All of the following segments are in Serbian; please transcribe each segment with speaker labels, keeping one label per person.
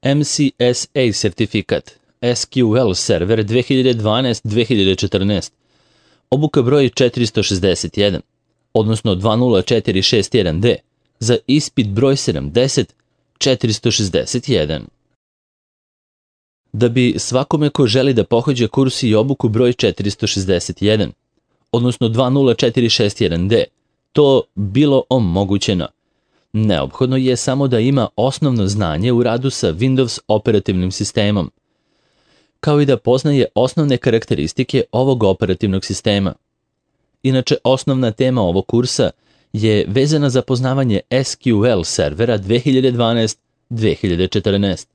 Speaker 1: MCSA sertifikat, SQL server 2012-2014, obuka broj 461, odnosno 20461D, za ispit broj 70-461. Da bi svakome ko želi da pohađa kurs i obuku broj 461, odnosno 20461D, to bilo omogućeno, neophodno je samo da ima osnovno znanje u radu sa Windows operativnim sistemom, kao i da poznaje osnovne karakteristike ovog operativnog sistema. Inače, osnovna tema ovog kursa je vezana za poznavanje SQL servera 2012-2014.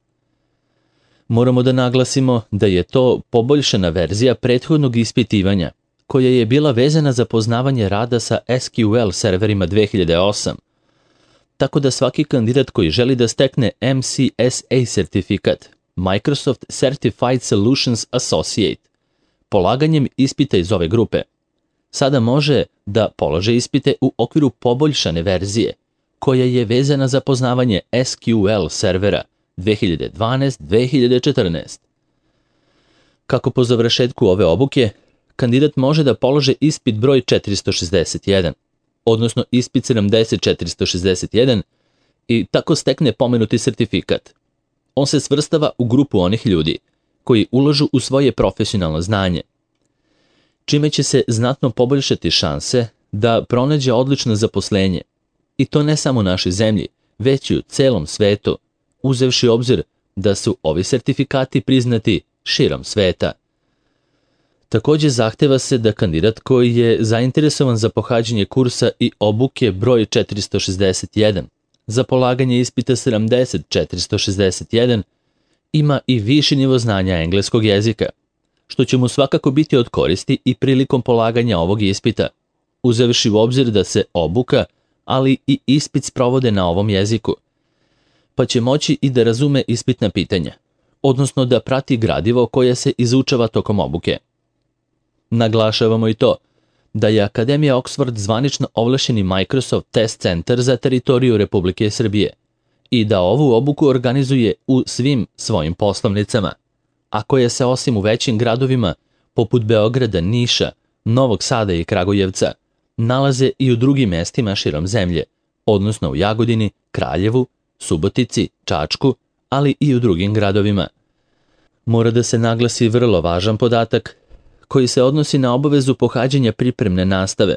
Speaker 1: Moramo da naglasimo da je to poboljšana verzija prethodnog ispitivanja, koja je bila vezana za poznavanje rada sa SQL serverima 2008, tako da svaki kandidat koji želi da stekne MCSA sertifikat, Microsoft Certified Solutions Associate, polaganjem ispita iz ove grupe, sada može da polaže ispite u okviru poboljšane verzije, koja je vezana za poznavanje SQL servera 2012-2014. Kako po završetku ove obuke, kandidat može da polože ispit broj 461, odnosno ispit 70-461 i tako stekne pomenuti sertifikat. On se svrstava u grupu onih ljudi koji ulažu u svoje profesionalno znanje, čime će se znatno poboljšati šanse da pronađe odlično zaposlenje, i to ne samo u našoj zemlji, već i u celom svetu, uzevši obzir da su ovi sertifikati priznati širom sveta. Takođe zahteva se da kandidat koji je zainteresovan za pohađanje kursa i obuke broj 461, za polaganje ispita 70-461, ima i viši nivo znanja engleskog jezika, što će mu svakako biti od koristi i prilikom polaganja ovog ispita, uzevši u obzir da se obuka, ali i ispit sprovode na ovom jeziku, pa će moći i da razume ispitna pitanja, odnosno da prati gradivo koje se izučava tokom obuke. Naglašavamo i to da je Akademija Oxford zvanično ovlašćeni Microsoft Test Center za teritoriju Republike Srbije i da ovu obuku organizuje u svim svojim poslovnicama, a koje se osim u većim gradovima poput Beograda, Niša, Novog Sada i Kragujevca nalaze i u drugim mestima širom zemlje, odnosno u Jagodini, Kraljevu, Subotici, Čačku, ali i u drugim gradovima. Mora da se naglasi vrlo važan podatak koji se odnosi na obavezu pohađanja pripremne nastave,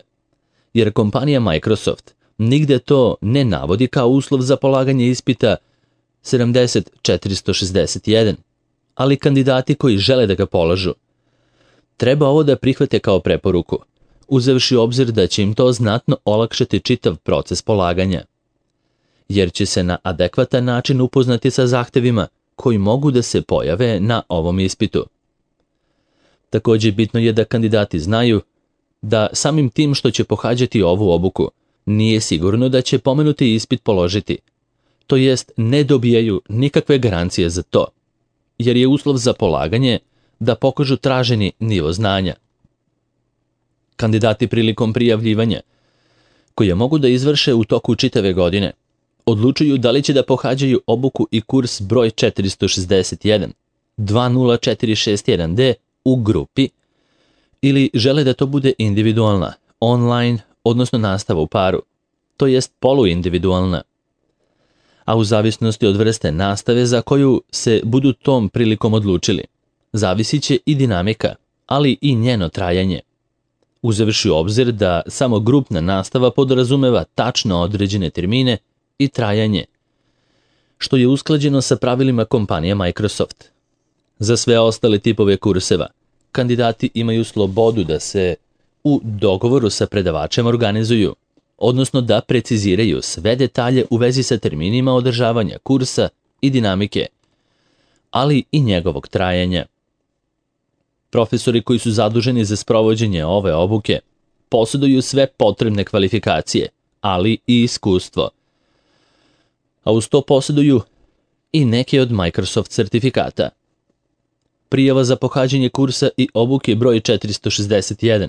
Speaker 1: jer kompanija Microsoft nigde to ne navodi kao uslov za polaganje ispita 70-461, ali kandidati koji žele da ga polažu treba ovo da prihvate kao preporuku, uzevši u obzir da će im to znatno olakšati čitav proces polaganja, jer će se na adekvatan način upoznati sa zahtevima koji mogu da se pojave na ovom ispitu. Takođe, bitno je da kandidati znaju da samim tim što će pohađati ovu obuku, nije sigurno da će pomenuti ispit položiti, to jest ne dobijaju nikakve garancije za to, jer je uslov za polaganje da pokažu traženi nivo znanja. Kandidati prilikom prijavljivanja, koje mogu da izvrše u toku čitave godine, odlučuju da li će da pohađaju obuku i kurs broj 461, 20461D u grupi, ili žele da to bude individualna, online, odnosno nastava u paru, to jest poluindividualna. A u zavisnosti od vrste nastave za koju se budu tom prilikom odlučili, zavisit će i dinamika, ali i njeno trajanje, uzevši u obzir da samo grupna nastava podrazumeva tačno određene termine i trajanje, što je usklađeno sa pravilima kompanije Microsoft. Za sve ostale tipove kurseva, kandidati imaju slobodu da se u dogovoru sa predavačem organizuju, odnosno da preciziraju sve detalje u vezi sa terminima održavanja kursa i dinamike, ali i njegovog trajanja. Profesori koji su zaduženi za sprovođenje ove obuke posjeduju sve potrebne kvalifikacije, ali i iskustvo, a uz to posjeduju i neke od Microsoft sertifikata. Prijava za pohađanje kursa i obuke broj 461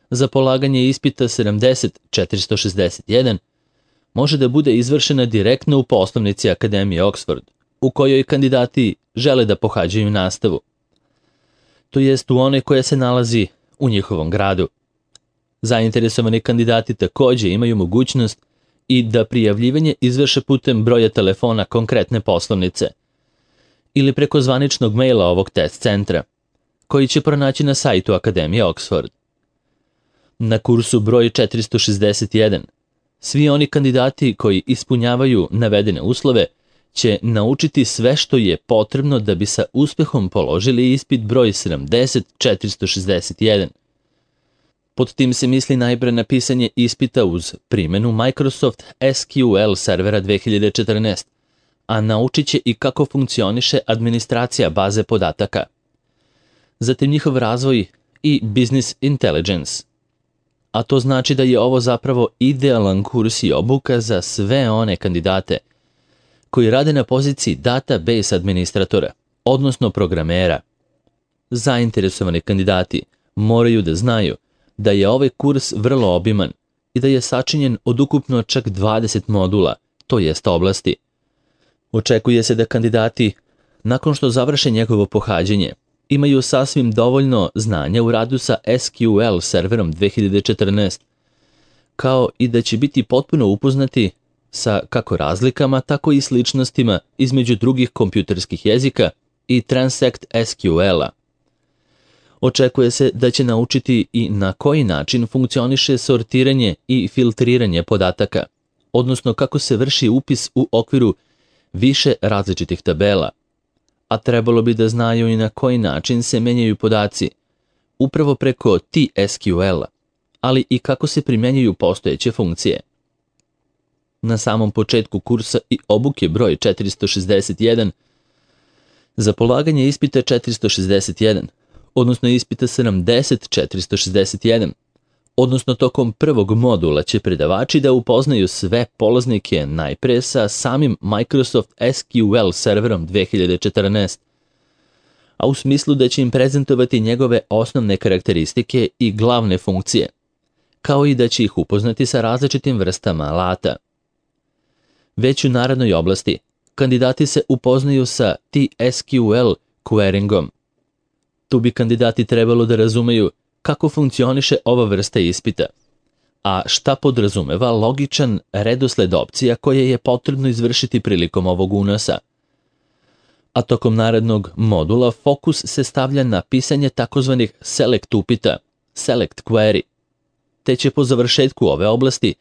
Speaker 1: za polaganje ispita 70-461 može da bude izvršena direktno u poslovnici Akademije Oxford u kojoj kandidati žele da pohađaju nastavu, to jest u onoj koja se nalazi u njihovom gradu. Zainteresovani kandidati takođe imaju mogućnost i da prijavljivanje izvrše putem broja telefona konkretne poslovnice ili preko zvaničnog maila ovog test centra, koji će pronaći na sajtu Akademije Oxford. Na kursu broj 461 svi oni kandidati koji ispunjavaju navedene uslove će naučiti sve što je potrebno da bi sa uspehom položili ispit broj 70461. Pod tim se misli najpre na pisanje ispita uz primjenu Microsoft SQL servera 2014, a naučit će i kako funkcioniše administracija baze podataka. Zatim njihov razvoj i business intelligence. A to znači da je ovo zapravo idealan kurs i obuka za sve one kandidate koji rade na poziciji database administratora, odnosno programera. Zainteresovani kandidati moraju da znaju da je ovaj kurs vrlo obiman i da je sačinjen od ukupno čak 20 modula, to jest oblasti. Očekuje se da kandidati, nakon što završe njegovo pohađanje, imaju sasvim dovoljno znanja u radu sa SQL serverom 2014, kao i da će biti potpuno upoznati sa kako razlikama, tako i sličnostima između drugih kompjuterskih jezika i Transact SQL-a. Očekuje se da će naučiti i na koji način funkcioniše sortiranje i filtriranje podataka, odnosno kako se vrši upis u okviru više različitih tabela, a trebalo bi da znaju i na koji način se menjaju podaci, upravo preko TSQL-a, ali i kako se primjenjuju postojeće funkcije. Na samom početku kursa i obuke broj 461, za polaganje ispita 461, odnosno ispita 70461, odnosno tokom prvog modula će predavači da upoznaju sve polaznike najpre sa samim Microsoft SQL serverom 2014, a u smislu da će im prezentovati njegove osnovne karakteristike i glavne funkcije, kao i da će ih upoznati sa različitim vrstama alata. Već u narednoj oblasti, kandidati se upoznaju sa TSQL queryingom. Tu bi kandidati trebalo da razumeju kako funkcioniše ova vrsta ispita, a šta podrazumeva logičan redosled opcija koje je potrebno izvršiti prilikom ovog unosa. A tokom narednog modula fokus se stavlja na pisanje takozvanih select upita, select query, te će po završetku ove oblasti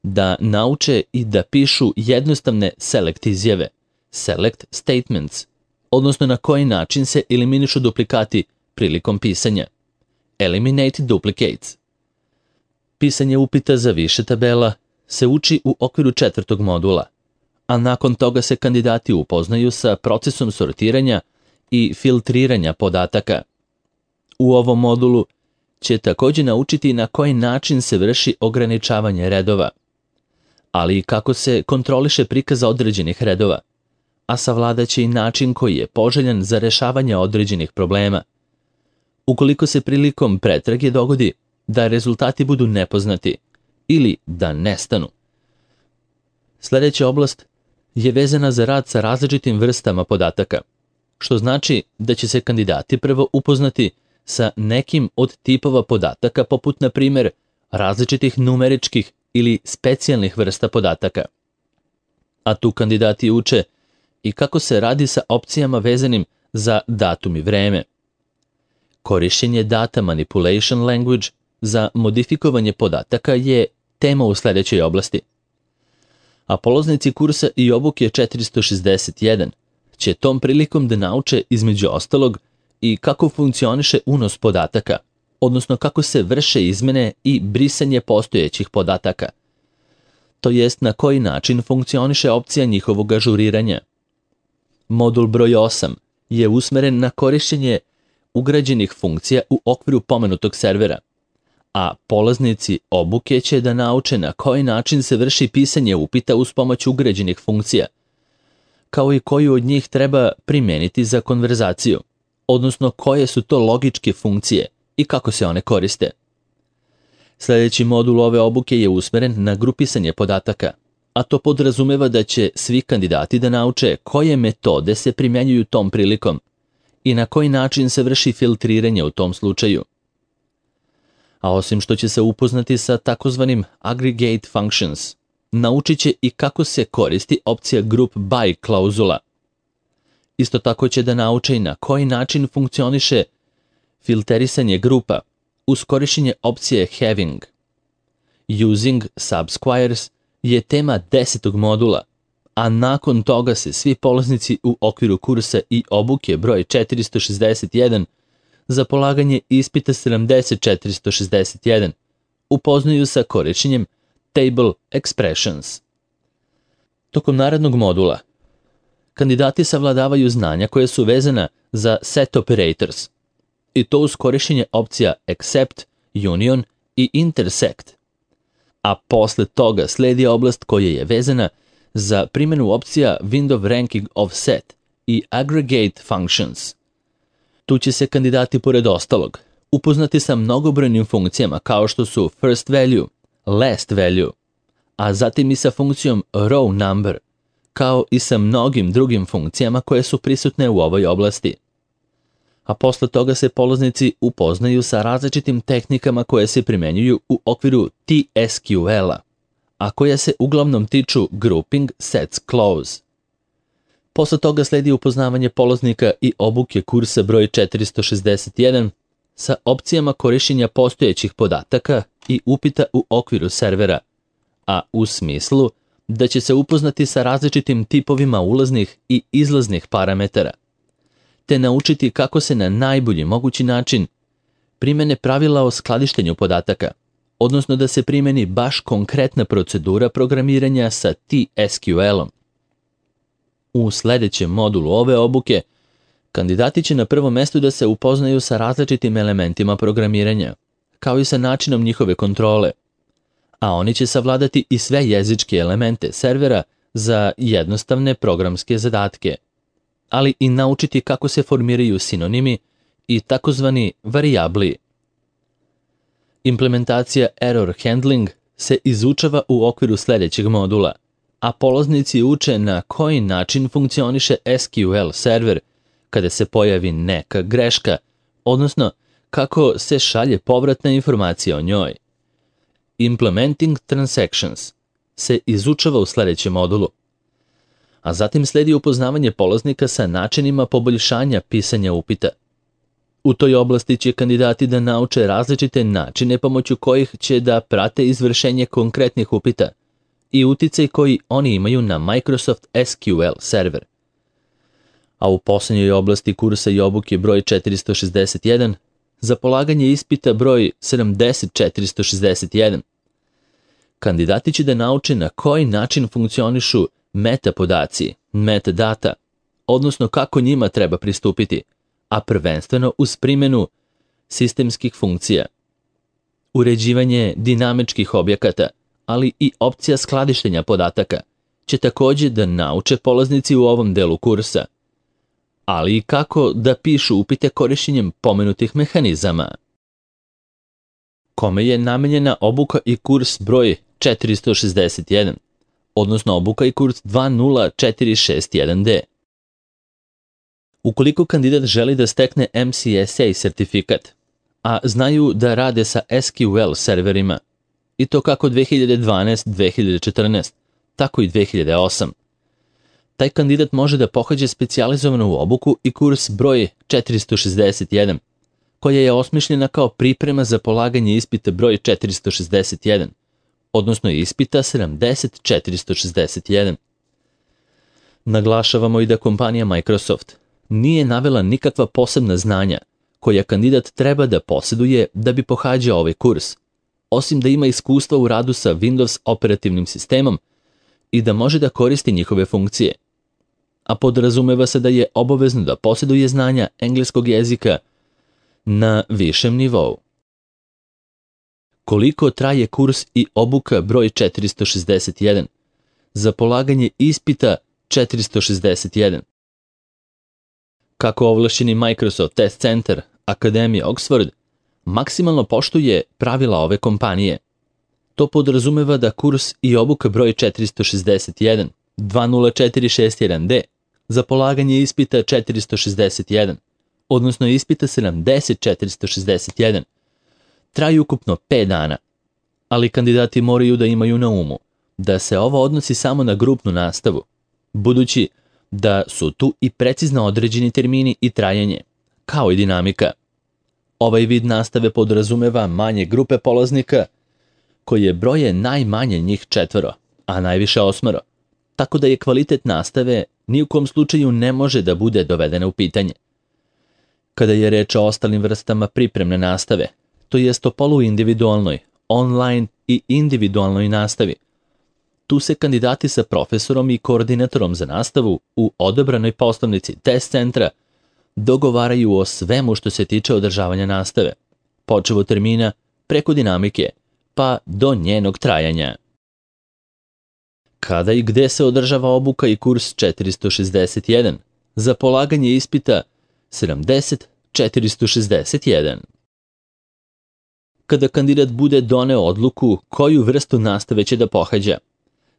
Speaker 1: da nauče i da pišu jednostavne select izjave, select statements, odnosno na koji način se eliminišu duplikati prilikom pisanja, eliminate duplicates. Pisanje upita za više tabela se uči u okviru 4. modula, a nakon toga se kandidati upoznaju sa procesom sortiranja i filtriranja podataka. U ovom modulu će također naučiti na koji način se vrši ograničavanje redova, ali i kako se kontroliše prikaz određenih redova, a savladaće i način koji je poželjan za rešavanje određenih problema. Ukoliko se prilikom pretrage dogodi da rezultati budu nepoznati ili da nestanu. Sljedeća oblast je vezana za rad sa različitim vrstama podataka, što znači da će se kandidati prvo upoznati sa nekim od tipova podataka poput, na primjer, različitih numeričkih ili specijalnih vrsta podataka. A tu kandidati uče i kako se radi sa opcijama vezanim za datum i vreme. Korišćenje data manipulation language za modifikovanje podataka je tema u sljedećoj oblasti. A polaznici kursa i obuke 461 će tom prilikom da nauče između ostalog i kako funkcioniše unos podataka, odnosno kako se vrše izmene i brisanje postojećih podataka, to jest na koji način funkcioniše opcija njihovog ažuriranja. Modul broj 8 je usmeren na korišćenje ugrađenih funkcija u okviru pomenutog servera, a polaznici obuke će da nauče na koji način se vrši pisanje upita uz pomoć ugrađenih funkcija, kao i koju od njih treba primijeniti za konverzaciju, odnosno koje su to logičke funkcije i kako se one koriste. Sljedeći modul ove obuke je usmeren na grupisanje podataka, a to podrazumeva da će svi kandidati da nauče koje metode se primjenjuju tom prilikom i na koji način se vrši filtriranje u tom slučaju. A osim što će se upoznati sa takozvanim aggregate functions, naučit će i kako se koristi opcija group by klauzula. Isto tako će da nauče i na koji način funkcioniše filterisanje grupa uz korišćenje opcije having. Using subsquares je tema 10. modula, a nakon toga se svi polaznici u okviru kursa i obuke broj 461 za polaganje ispita 70461 upoznaju sa korišćenjem table expressions. Tokom narednog modula kandidati savladavaju znanja koje su vezana za set operators, i to uz korišćenje opcija except, union i intersect. A posle toga sledi oblast koja je vezana za primjenu opcija window ranking of set i aggregate functions. Tu će se kandidati pored ostalog upoznati sa mnogobrojnim funkcijama kao što su first value, last value, a zatim i sa funkcijom row number, kao i sa mnogim drugim funkcijama koje su prisutne u ovoj oblasti. A posle toga se polaznici upoznaju sa različitim tehnikama koje se primenjuju u okviru TSQL-a, a koje se uglavnom tiču grouping sets clause. Posle toga sledi upoznavanje polaznika i obuke kursa broj 461 sa opcijama korišćenja postojećih podataka i upita u okviru servera, a u smislu da će se upoznati sa različitim tipovima ulaznih i izlaznih parametara, te naučiti kako se na najbolji mogući način primene pravila o skladištenju podataka, odnosno da se primeni baš konkretna procedura programiranja sa TSQL-om. U sledećem modulu ove obuke, kandidati će na prvom mestu da se upoznaju sa različitim elementima programiranja, kao i sa načinom njihove kontrole, a oni će savladati i sve jezičke elemente servera za jednostavne programske zadatke, ali i naučiti kako se formiraju sinonimi i takozvani varijabli. Implementacija error handling se izučava u okviru sledećeg modula, a polaznici uče na koji način funkcioniše SQL server kada se pojavi neka greška, odnosno kako se šalje povratna informacija o njoj. Implementing transactions se izučava u sledećem modulu, a zatim sledi upoznavanje polaznika sa načinima poboljšanja pisanja upita. U toj oblasti će kandidati da nauče različite načine pomoću kojih će da prate izvršenje konkretnih upita i uticaj koji oni imaju na Microsoft SQL server. A u posljednjoj oblasti kursa i obuke broj 461 za polaganje ispita broj 70461 kandidati će da nauče na koji način funkcionišu metapodaci, metadata, odnosno kako njima treba pristupiti, a prvenstveno uz primjenu sistemskih funkcija. Uređivanje dinamičkih objekata, ali i opcija skladištenja podataka će također da nauče polaznici u ovom delu kursa, ali i kako da pišu upite korišćenjem pomenutih mehanizama. Kome je namenjena obuka i kurs broj 461, odnosno obuka i kurs 20461D. Ukoliko kandidat želi da stekne MCSA sertifikat, a znaju da rade sa SQL serverima, i to kako 2012-2014, tako i 2008, taj kandidat može da pohađa specijalizovanu obuku i kurs broj 461, koja je osmišljena kao priprema za polaganje ispita broj 461, odnosno ispita 70461. Naglašavamo i da kompanija Microsoft nije navela nikakva posebna znanja koja kandidat treba da posjeduje da bi pohađao ovaj kurs, osim da ima iskustva u radu sa Windows operativnim sistemom i da može da koristi njihove funkcije. A podrazumeva se da je obavezno da posjeduje znanja engleskog jezika na višem nivou. Koliko traje kurs i obuka broj 461 za polaganje ispita 461? Kako ovlašćeni Microsoft Test Center Akademija Oxford maksimalno poštuje pravila ove kompanije. To podrazumeva da kurs i obuka broj 461, 20461D, za polaganje ispita 461, odnosno ispita 70461, traju ukupno 5 dana, ali kandidati moraju da imaju na umu da se ovo odnosi samo na grupnu nastavu, budući da su tu i precizno određeni termini i trajanje, kao i dinamika. Ovaj vid nastave podrazumeva manje grupe polaznika, koje broje najmanje njih 4, a najviše 8, tako da je kvalitet nastave ni u kom slučaju ne može da bude dovedena u pitanje. Kada je reč o ostalim vrstama pripremne nastave, to jest o poluindividualnoj, online i individualnoj nastavi, tu se kandidati sa profesorom i koordinatorom za nastavu u odabranoj poslovnici test centra dogovaraju o svemu što se tiče održavanja nastave, počev od termina, preko dinamike, pa do njenog trajanja. Kada i gde se održava obuka i kurs 461 za polaganje ispita 70461? Kada kandidat bude doneo odluku koju vrstu nastave će da pohađa,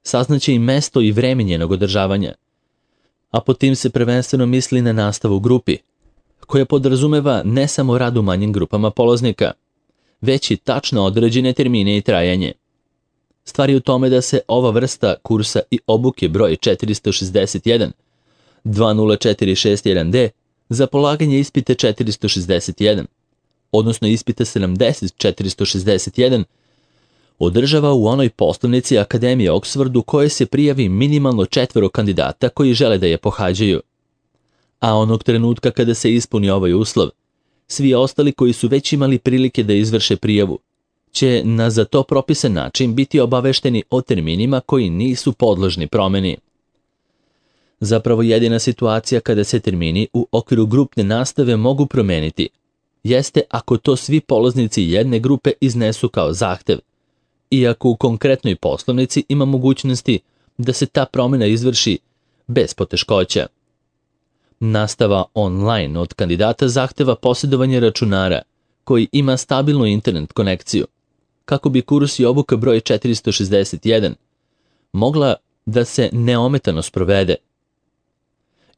Speaker 1: saznaće i mesto i vreme njenog održavanja, a pod tim se prvenstveno misli na nastavu u grupi, koja podrazumeva ne samo rad u manjim grupama polaznika, već i tačno određene termine i trajanje. Stvar je u tome da se ova vrsta kursa i obuke broj 461, 20461D, za polaganje ispita 461, odnosno ispita 70461, održava u onoj poslovnici Akademije Oxford u kojoj se prijavi minimalno 4 kandidata koji žele da je pohađaju. A onog trenutka kada se ispuni ovaj uslov, svi ostali koji su već imali prilike da izvrše prijavu će na za to propisan način biti obavešteni o terminima koji nisu podložni promeni. Zapravo jedina situacija kada se termini u okviru grupne nastave mogu promeniti jeste ako to svi polaznici jedne grupe iznesu kao zahtev, iako u konkretnoj poslovnici ima mogućnosti da se ta promjena izvrši bez poteškoća. Nastava online od kandidata zahteva posjedovanje računara koji ima stabilnu internet konekciju, kako bi kurs i obuka broj 461 mogla da se neometano sprovede.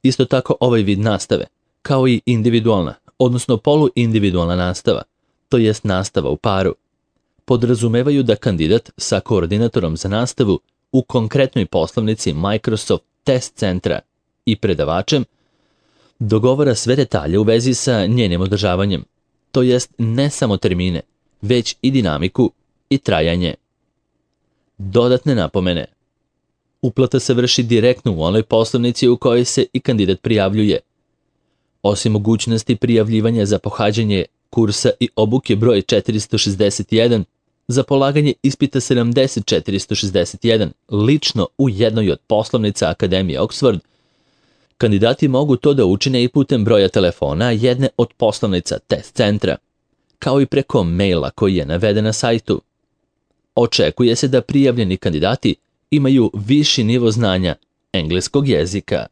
Speaker 1: Isto tako ovaj vid nastave, kao i individualna, odnosno poluindividualna nastava, to jest nastava u paru, podrazumevaju da kandidat sa koordinatorom za nastavu u konkretnoj poslovnici Microsoft test centra i predavačem dogovara sve detalje u vezi sa njenim održavanjem, to jest ne samo termine, već i dinamiku i trajanje. Dodatne napomene. Uplata se vrši direktno u onoj poslovnici u kojoj se i kandidat prijavljuje. Osim mogućnosti prijavljivanja za pohađanje kursa i obuke broj 461, za polaganje ispita 70461 lično u jednoj od poslovnica Akademije Oxford, kandidati mogu to da učine i putem broja telefona jedne od poslovnica test centra, kao i preko maila koji je naveden na sajtu. Očekuje se da prijavljeni kandidati imaju viši nivo znanja engleskog jezika.